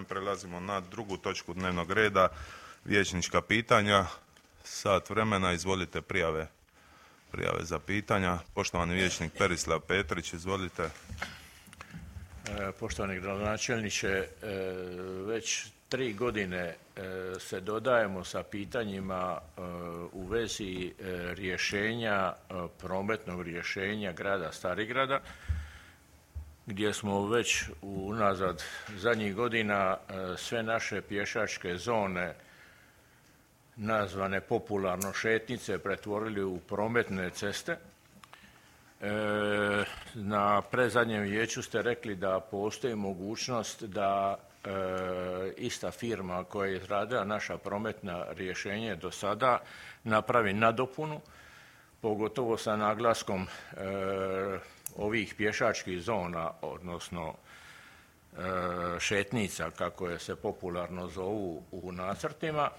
time. Prelazimo na drugu točku dnevnog reda, vijećnička pitanja. Sat vremena, izvolite prijave za pitanja. Poštovani vijećnik Perislav Petrić, izvolite. Poštovani gradonačelniče, već 3 godine se dodajemo sa pitanjima u vezi rješenja, prometnog rješenja grada Starigrada, gdje smo već unazad zadnjih godina sve naše pješačke zone, nazvane popularno šetnice, pretvorili u prometne ceste. Na predzadnjem vijeću ste rekli da postoji mogućnost da ista firma koja je izradila naša prometna rješenja do sada napravi nadopunu, pogotovo sa naglaskom ovih pješačkih zona, odnosno šetnica, kako je se popularno zovu u nacrtima.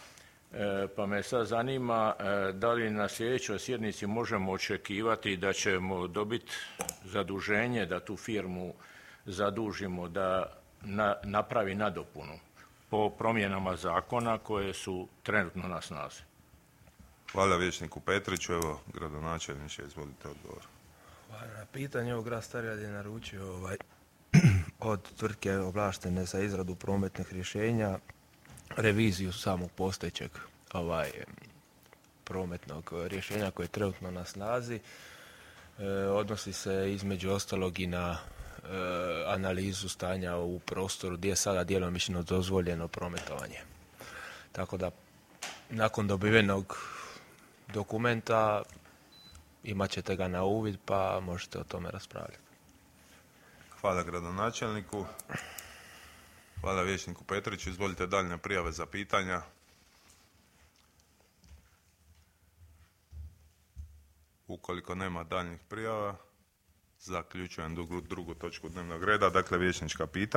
Pa me sad zanima da li na sljedećoj sjednici možemo očekivati da ćemo dobiti zaduženje da tu firmu zadužimo da napravi nadopunu po promjenama zakona koje su trenutno na snazi. Hvala vijećniku Petriću. Evo, gradonačelniče, izvolite odgovor. Hvala na pitanje. Ovo grad Starigrad je naručio od tvrtke ovlaštene za izradu prometnih rješenja reviziju samog postojećeg prometnog rješenja koje je trenutno na snazi. Odnosi se između ostalog i na analizu stanja u prostoru gdje je sada djelomično dozvoljeno prometovanje. Tako da nakon dobivenog dokumenta imat ćete ga na uvid pa možete o tome raspravljati. Hvala gradonačelniku. Hvala vijećniku Petriću. Izvolite daljnje prijave za pitanja. Ukoliko nema daljnjih prijava, zaključujem drugu točku dnevnog reda, dakle vijećnička pitanja.